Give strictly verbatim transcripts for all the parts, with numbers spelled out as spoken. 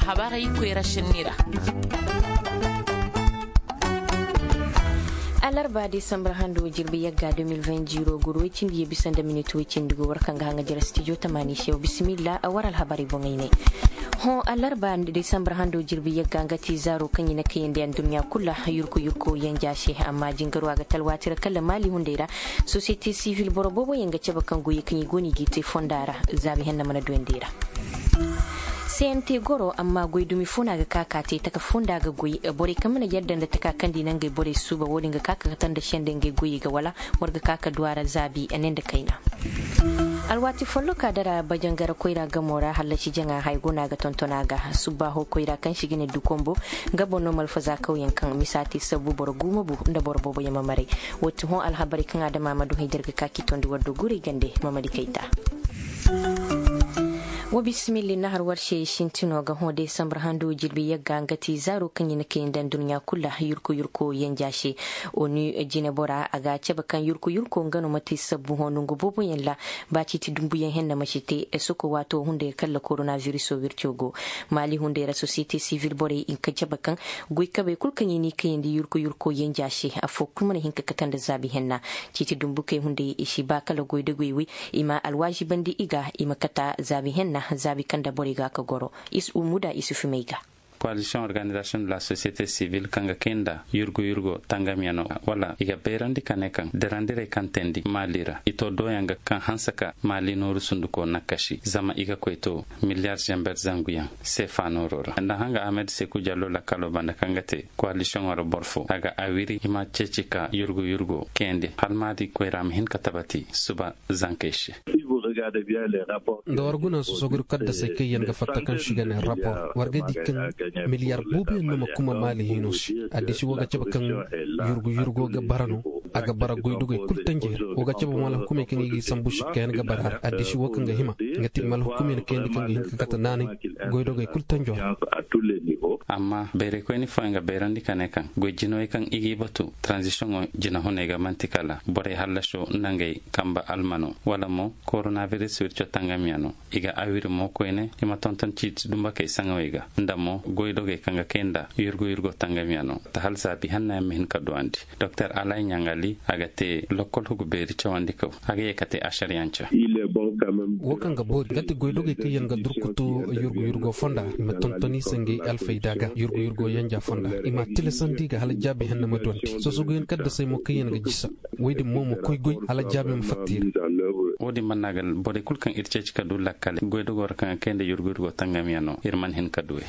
Habaray koyra senni ra. Alarba desambar hando jirbi yagga deux mille vingt ziro guru way cindi ye bisa nda minit way cindi go war kaŋ ga haŋa jira stijo tamaani se wa bisimilla a war alhabaray boŋay ne. Hõ alarba desambar hando jirbi yagga nga ti zaaro kaŋ i na kayandi anduɲɲa kulu ra yurku yurku yanja se amma jingaro a ga talwaati ra kala maali hunday ra. Sosiyete sivil boro boobo yaŋ ga cabe kaŋ goyey kaŋ i go no i g'i te fonda ra. Zaabi henna mana duyandi i ra. Sente goro amma goy dumi fo no a ga ka ka te taka fo nda a ga goy. Borey kaŋ mana yadda nda taka kaŋ di na ngey borey suuba wo-din ga ka ka kate nda sende ngey goyey ga wala war ga ka ka du a ra zaabi ne nda kayna. Alwaati folloka dara bajangara koyra gamo ra hallasi jaŋa haya go no a ga tonton a ga subbaaho koyra kaŋ se i ga ne dukombo. Nga boŋ no malfaza kawyaŋ kaŋ misa te sabbu boro guuma bu nda boro boobo yaŋ ma maray. Wo ti hõ alhabarey kaŋ adama ma du hay da ir ga ka k'i tondi war do guray gande. Mamadi kayta. Wa bisimilli nahar war se sintino ga hõ desambar hando jirbi yagga nga ti zaaro kaŋ i na kay nda nduɲɲa kulu ra yurko yurko yanja se. Onu jinebora a ga a cabe kaŋ yurko yurko nga no ma te sabbu hõ nongu booboyaŋ ra. Ba ciiti dumbuyaŋ henna ma si te soko waato hunday ra kala korona viriso wirco go. Maali hunday ra sosiyete sivil borey i ka cabe kaŋ goy kabey kulu kaŋ i n'i kayandi yurko yurko yanja se afo kulu mana hin ka kate nda zaabi henna. Ciiti dumbukey hunday i si ba kala goydogey wey i ma alwaazibandi i ga i ma kata zaabi henna. Zaabi kaŋ nda borey ga ka goro. Muda isufu may ga. Koalisiyoŋ organizasiyoŋ de la sosiyete sivil kaŋ ga kay nda yurgu yurgo tangamyaŋo wala i ga bayrandi ka ne kaŋ dirandirey kaŋ teendi maali ra i to dooyaŋ ga kaŋ hanse ka maali nooru sunduko nakkasi zama i ga koy to miliyar zamber zanguyaŋ seefa nooro ra nda hanga ahmed seku jallo lakkalo banda kaŋ ga te koalisiyoŋo ra boro fo a ga a wiri i ma ceeci ka yurgu yurgo kayandi hala maali koyra ma hin ka tabati suba zankey se. Nda war guna sosogudi kaddasey kaŋ yaŋ ga fatta kaŋ se i ga ne rapor war ga di kaŋ miliyar booboyaŋ no ma kuma maali hino se. Addisi wo ga cabe kaŋ yurgu yurgo ga bara no a ga bara goydogey kulu tanjey ra wo ga cabe mo alhukumey kaŋ i ga i sambu sikka yaŋ ga bara a ra addisi wo kaŋ ga hima nga te i ma alhukumey na kayandi kaŋ ga hin ka kate naanay goydogey kulu tanjo ra. Amma bayraykoyni fooyaŋ ga bayrandi ka ne kaŋ goy jinawey kaŋ i g'i batu taranzisiyoŋo jinahuney ga man'ti kala borey hallaso nda ngey kamba almano wala mo koronabiris wirco tangamyaŋo i ga awiri mo koyne i ma tonton ciiti dumbakey saŋawey ga nda mo goydogey kaŋ ga kay nda yurgu yurgo tangamyaŋo ta hala zaabi hannayaŋ ma hin ka duwandi. Doktor alay ɲaŋali a ga te lokkol hugu beeri cawandi kaw a ga ye ka te asariyanca. Wo kaŋ ga boori nga ti goydogey kaŋ yaŋ ga durkutu yurgu yurgo fonda i ma tonton i se ngey alfayda ga yurgu yurgo yanja fonda i ma a tilasandi ga hala jaabi henna ma duwandi sosoguyaŋ kaddasey mo kaŋ yaŋ ga jisa. Woy din mo ma koy goy hala jaabi ma fatta i ra. Wo-din mana ga borey kulu kaŋ ir ceeci ka du lakkale goydogo ra kaŋ ga kay nda yurgu yurgo tangamyaŋo ir mana hin ka duwey.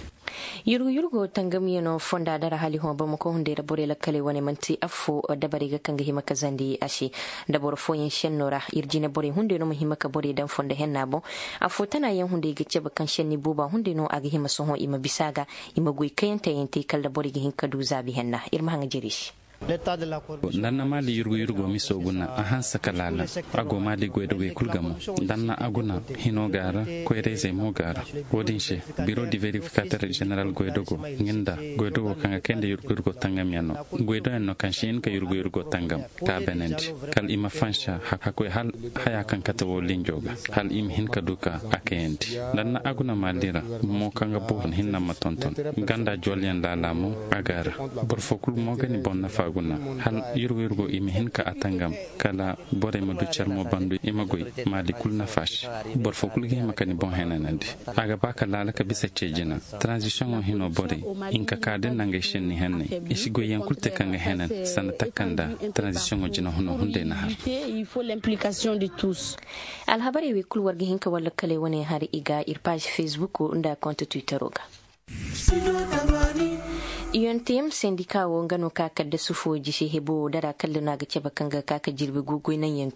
Yurgu yurgo tangamyaŋo fonda dara hala i hõ bamako hunday ra borey lakkaley wane man'ti affo dabarey ga kaŋ ga hima ka zandi a se. Nda boro fooyaŋ senno ra ir jine borey hunday no ma hima ka borey daŋ fondo henna boŋ. Affo tanayaŋ hunday ga cabe kaŋ senni booba hunday no a ga hima sohõ i ma bisa a ga i ma goy kayantayante kala da borey ga hin ka du zaabi henna ir ma haŋa jere se. Nda na maali yurgu yurgo miso guna a hanse ka laala. A go maali goydogey kulu ga mo nda na a guna hino ga a ra koyrayzey mo ga a ra. Wo-din se biro di verifikater jeneral goydogo nga nda goydogo kaŋ ga kay nda yurgu yurgo tangamyaŋo goydoyaŋ no kaŋ si hin ka yurgu yurgo tangam ka a beenandi kala i ma fansa hakkoy hala haya kaŋ kate wo linjo ga hala i ma hin ka du ka a kayandi. Nda na a guna maali ra mo kaŋ ga boobo hinne ma tonton ganda jolyaŋ laala mo a ga a ra. Boro fo kulu mo ga ni boŋ nafa guna hala yurgu yurgo i ma hin ka a tangam kala borey ma du care mo bandu i ma goy maali kulu nafa se. Boro fo kulu ga hima ka ni boŋ henanandi a ga ba ka laala ka bisa ce jina. Taranzisiyoŋo hino borey hinka ka din nangey senni henney i si goyyaŋ kulu te kaŋ ga henan sanda takanda. Taranzisiyoŋo jina huno hunday na har. Alhabarey wey kulu war ga hin ka war lakkaley wane har i ga ir paazi fesbuko nda konte twittero ga. Iyonte yam sendika wo nga no ka kaddasu fo jise hebo dara kalla no a ga cabe kaŋ ga ka ka jirbi gu goynaŋ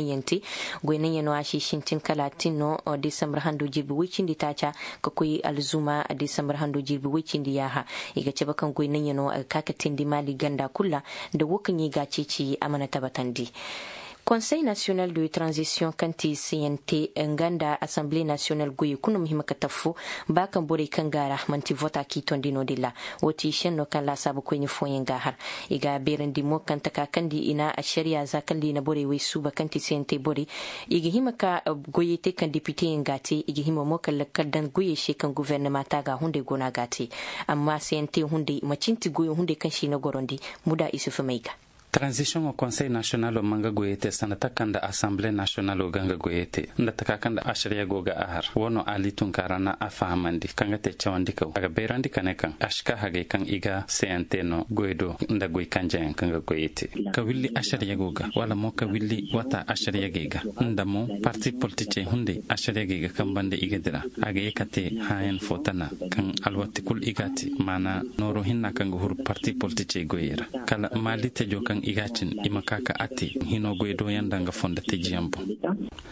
yaŋ te. Goynaŋ yaŋ no a si sintin kala a tin no. Desambar hando jirbi woy cindi taaca ka koy alzuma desambar hando jirbi woy cindi yaaha. I ga cabe kaŋ goynaŋ yaŋ no a ga ka ka teendi maali ganda kulu ra. Nda wo kaŋ i ga a ceeci a mana tabatandi. Konsey nasiyonal de tranzisiyoŋ kaŋ ti cnt, nga nda asanbile nasiyonal goyey kulu no ma hima ka taffo. Ba kaŋ borey kaŋ go a ra man'ti vota k'i tondi no-din ra. Wo ti senno kaŋ laasaabu koyne fooyaŋ g'a har. I ga a beerandi mo kaŋ taka kaŋ di i na ašariya za kaŋ di i na borey wey suuba kaŋ ti cnt borey. I ga hima ka goyey te kaŋ depiteyaŋ g'a te i ga hima mo kaŋ lakkal daŋ goyey se kaŋ gofornama te a ga hunday go no a g'a te. Amma cnt hunday macin ti goyo hunday kaŋ se i na gorondi. Muda isufu may ga. Taranzisiyoŋo konsey nasiyonalo ma nga goyey te sanda taka nda asanbile nasiyonalo ga nga goyey te nda taka kaŋ nda ašariya go ga a har wo no ali tunkaara na a fahamandi kaŋ ga te cawandikaw a ga bayrandi ka ne kaŋ a si ka hagay kaŋ i ga cnt no goy do nda goy kanjayaŋ kaŋ ga goyey te ka willi ašariya go ga wala mo ka willi wata ašariyagey ga nda mo parti politicey hunday ašariyagey ga kambande i ga dira a ga ye ka te hãayan fo tana kaŋ alwatti kul i ga a te maana nooro hinna kaŋ ga huru parti politicey goyey ra kala maali tejo kaŋ i ga a cin i ma ka ka a te hino goy dooyaŋ nda nga fondo tejiyaŋ boŋ.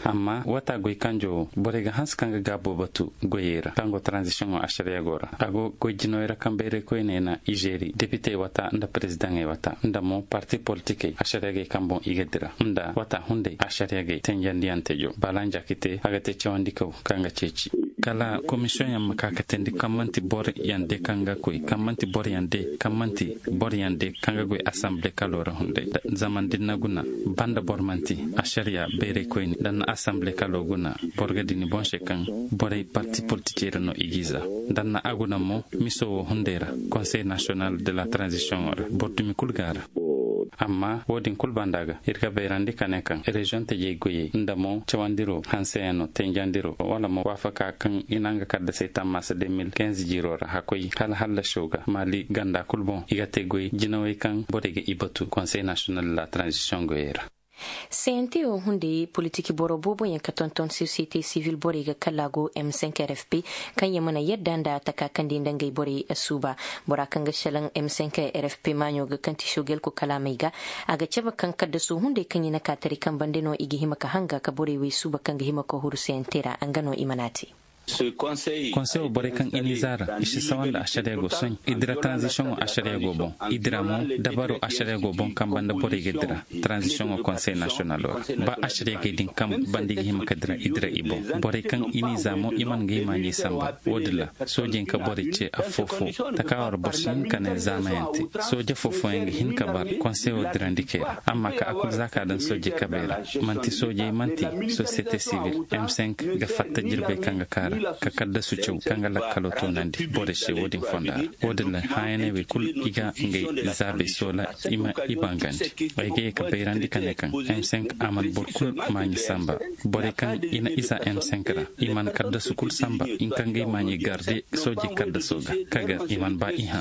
Amma wata goy kanjo wo borey ga hanse kaŋ ga gaabo batu goyey ra kaŋ go taranzisiyoŋo ašariyago ra a go goy jinawey ra kaŋ bayray koyney na izeeri depitey wata nda perezidaŋey wata nda mo parti politikey ašariyagey kaŋ boŋ i ga dira nda wata hunday ašariyagey tenjandiyaŋ tejo baalanja ka te a ga te cawandikaw kaŋ ga ceeci kala komisiyoŋ yaŋ ma ka ka teendi kaŋ man'ti boro yaŋ de kaŋ ga koy kaŋ man'ti boro yaŋ de kaŋ man'ti boro yaŋ de kaŋ ga goy asanbile kalo ra hunday zama da ni na guna banda boro man'ti ašariya bayray koyne da ni na asanbile kalo guna boro ga di ni boŋ se kaŋ borey parti politikey ra no i g'i za da ni na a guna mo miso wo hunday ra konsey nasiyonal de la taranzisiyoŋo ra boro dumi kul go a ra. Amma wo-din kul banda ga ir ga bayrandi ka ne kaŋ reziyoŋ tajey goyey nda mo cawandiro hanseyaŋ no tenjandiro wala mo waafaka kaŋ i na nga kaddasey tammaasa de mil kinze jiiro ra hakkoy hala hallasiyo ga maali ganda kul boŋ i ga te goy jinawey kaŋ borey ga i batu konsey nasiyonal de la taranzisiyoŋ goyey ra. Cnt wo hunday politik boro booboyaŋ ka tonton sosiyete sivil borey ga kala go m cinq r f p kaŋ yaŋ mana yadda nda taka kaŋ di nda ngey borey suuba. Bora kaŋ ga salaŋ m cinq r f p maaɲo ga kaŋ ti sogel ko kalaamey ga a ga cabe kaŋ kaddasu hunday kaŋ i na ka tari kaŋ bande no i ga hima ka hanga ka borey wey suuba kaŋ ga hima ka huru cnt ra nga no i mana te. Konseyo borey kaŋ i n'i zaara i si sawa nda ašariya go sohõ i dira taranzisiyoŋo ašariya go boŋ i dira mo dabaro ašariya go boŋ kaŋ banda borey ga dira taranzisiyoŋo konsey nasiyonalo ra ba ašariya gay din kaŋ banda i ga hima ka dira i dira i boŋ borey kaŋ i n'i za mo i mana ga i maaɲey samba. Wo-din ra soojey ka borey ce affoo-foo taka war boro si hin ka ne zaamayaŋ te sooje foo-fooyaŋ ga hin ka bar konseyo dirandikey ra amma ka a kul za ka daŋ soojey kabey ra man'ti soojey man'ti sosiyete sivil m cinq ga fatta jirbey kaŋ ga kaara ka kaddasu caw kaŋ ga lakkalo toonandi borey se wo-din fonda ra. Wo-din ra hãyaney wey kul i ga ngey zaabey soola i ma i bangandi ay ga ye ka bayrandi ka ne kaŋ m cinq a mana boro kul maaɲi samba. Borey kaŋ i na i za m cinq ra i mana kaddasu kul samba i kaŋ ga i maaɲi garde soojey kaddaso ga ka gar i mana ba i hã.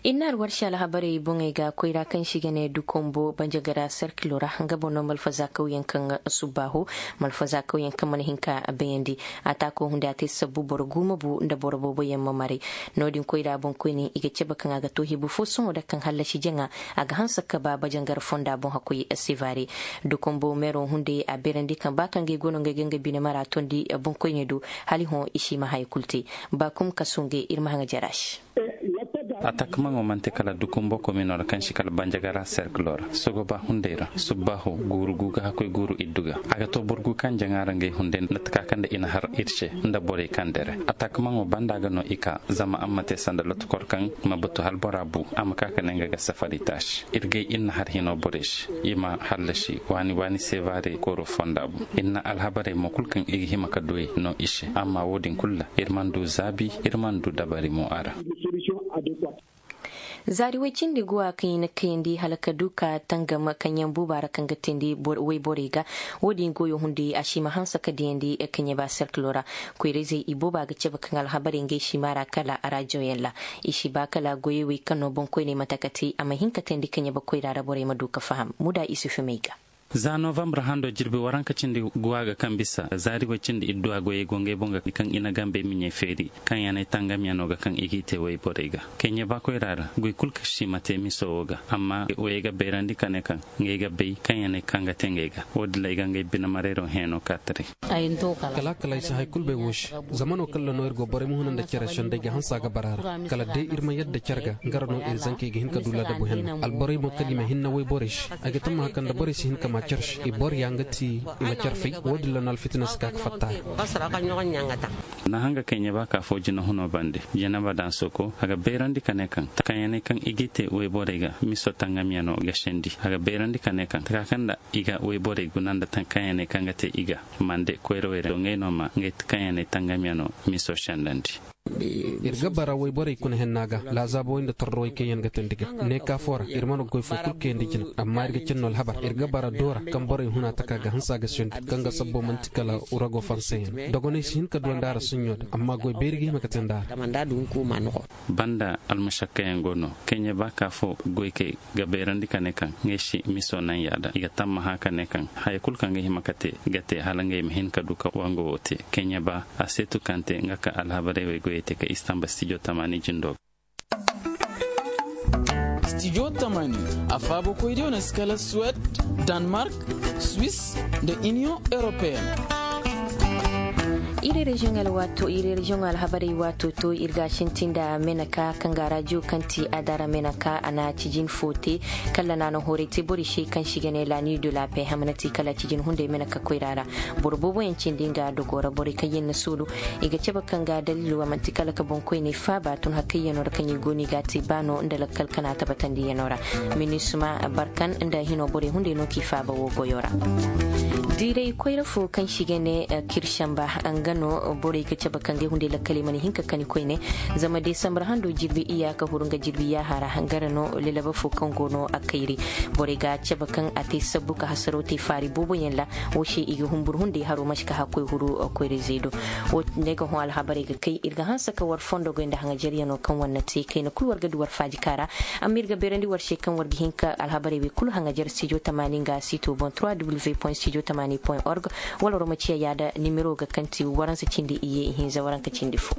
Ir na alwarsi alhabarey boŋey ga koyra kaŋ se i ga ne dukombo banjagara serkilo ra nga boŋ no malfazakawyaŋ kaŋ subbaaho malfazakawyaŋ kaŋ mana hin ka bayandi. Ataako hunday a te sabbu boro guuma bu nda boro booboyaŋ ma maray. No-din koyra boŋkoyne i ga cabe kaŋ a ga to hebu fo sohõ da kaŋ hallasi jaŋa a ga hanse ka ba bajangar fonda boŋ hakkoy sevare. Dukombo meero hunday a beerandi kaŋ ba kaŋ ga ay go no nga ay ga nga bine mara tondi boŋkoyne do hala i hõ i si i ma haya kulu te. Baakum kasu ngey ir ma haŋa jara se. Atakmaŋo man'ti kala dukumbo komino ra kaŋ si kala banjagara serkilo ra sogoba hunday ra subbaaho guuru gu ga hakkoy guuru iddu ga a ga to boro gu kaŋ jaŋa ra ngey hunday nda taka kaŋ nda i na har ir se nda borey kaŋ dere atakmaŋo banda ga no i ka zama a ma te sanda lotokor kaŋ ma batu hala bora bu a ma ka ka ne nga ga safari taasi ir gay ir na har hino borey se. I ma hallasi waani waani sevare kooro fonda bu ir na alhabarey mo kulu kaŋ i ga hima ka duwey no i se amma wo-din kulu ra ir mana du zaabi ir mana du dabari mo a ra. Zaari woy cindi guwa kaŋ i na kayandi hala ka du ka tangam kaŋ yaŋ buuba ra kaŋ ga teendi woy borey ga. Wo-din goyo hunday a si ma hanse ka diyandi kaŋyaba serkilo ra. Koyrayzey i booba ga cabe kaŋ alhabarey ngey si maara kala raajoyaŋ ra. I si ba kala goyey wey kaŋ no boŋkoyney mate ka te a ma hin ka teendi kaŋyaba koyra ra borey ma du ka faham muda isufu may ga. Za novambar hando jirbi waranka cindi guwa ga kaŋ bisa zaari way cindi idduwa goyey go ngey boŋ ga kaŋ i na gambey miɲey feeri kaŋ yaŋ ay tangamyaŋo ga kaŋ i g'i te wayborey ga. Keɲe ba koyra ra goy kul kaŋ si ma te miso wo ga amma wayey ga bayrandi ka ne kaŋ ngey ga bay kaŋ yaŋ ay kaŋ ga te ngey ga. Wo- din ra ay ga ngey bine mareero hẽeno ka taray. Kala kala ay si hay kul bay wo se. Zama no kaŋ ra no ir go borey ma huna nda cere sendey ga hanse a ga bara ra kala day ir ma yadda cere ga nga ra no ir zankey ga hin ka du laadabu henna alborey mo kaŋ i ma hinna wayborey se. Ay ga tammaha kaŋ nda borey si hin ka ma cere se i bor ya nga ti i ma cere fay wo- din ra no alfitina si ka ga fatta a ra. Na hanga kay ɲeba ka fo jinahuno bande jinaba daŋ soko a ga bayrandi ka ne kaŋ kaŋ ya ne kaŋ i g'i te wayborey ga miso tangamyaŋo ga sendi a ga bayrandi ka ne kaŋ taka kaŋ nda i ga wayborey guna nda kaŋ ya ne kaŋ ga te i ga mande koyra wayra do ngey no ma ngey kaŋ ya ne tangamyaŋo miso sendandi. Ir ga bara wayborey kuna henna ga laazaabawey nda tordowey kaŋ yaŋ ga teendi ga ne ka fo ra ir mana goy fo kul kayandi jina amma ir ga cin no alhabar ir ga bara doora kaŋ borey huna taka ga hanse a ga sendi kaŋ ga sabbo man'ti kala wurago fanseyaŋ dogoney si hin ka duwandi a ra suɲɲo din amma goy bayri ga hima ga teendi a ra. Banda almasakkayaŋ go no keɲe ba ka fo goykey ga bayrandi ka ne kaŋ ngey si miso naŋ yaada i ga tammaha ka ne kaŋ haya kul kaŋ ga hima ka te ga te hala ngey ma hin ka du ka wango wo te keɲe ba a seetu kaŋ te nga ka alhabarey wey goyey te ka istamba stijo tamaani jindo ga. Stijo tamaani a faabakoydiyo na si kala suwed, danmark, swis, nda iniyoŋ europeyen. Iri reziyoŋ alhabarey waato to ir ga a sinti nda meneka kaŋ ga rajiyo kaŋ ti adara meneka a na cijin fo te. Kala na a na horay te borey se kaŋ si ga ne la nuit de la paix hamana ti kala cijin hunday meneka koyra ra. Boro booboyaŋ cindi nga dogo ra borey kaŋ yaŋ na suulu i ga cabe kaŋ ga daliilo a man'ti kala ka boŋkoyney faaba tun hakayyaŋo ra kaŋ i go no i ga a te ba no nda lakkal kana tabatandiyaŋo ra. Minisma barkan nda hino borey hunday no k'i faaba wo goyo ra. Diiray koyra fo kaŋ si ga ne kirsanba nga no borey ga cabe kaŋ ga ay hunday lakkaley mana hin ka kani koyne. Zama desambar hando jirbi iya ka huru nga jirbi yaahara hangara no lalaba fo kaŋ go no a kayri. Borey ga cabe kaŋ a te sabbu ka hasaro te faari booboyaŋ ra. Wo se i ga humbur hunday haro ma si ka hakkoy huru koyra-izey do. Wo ne ga hõ alhabarey ga kay ir ga hanse ka war fondo goy nda haŋajeryano kaŋ war na te kayna kul war ga du war faajika ra. Amma ir ga beerandi war se kaŋ war ga hin ka alhabarey wey kulu haŋajer stijo tamaani nga sito boŋ trois w point stijo tamaani point org. Wala war ma ciya yaada nimero ga kaŋ ti waransa cindi iyye ihinza waranka cindi fo.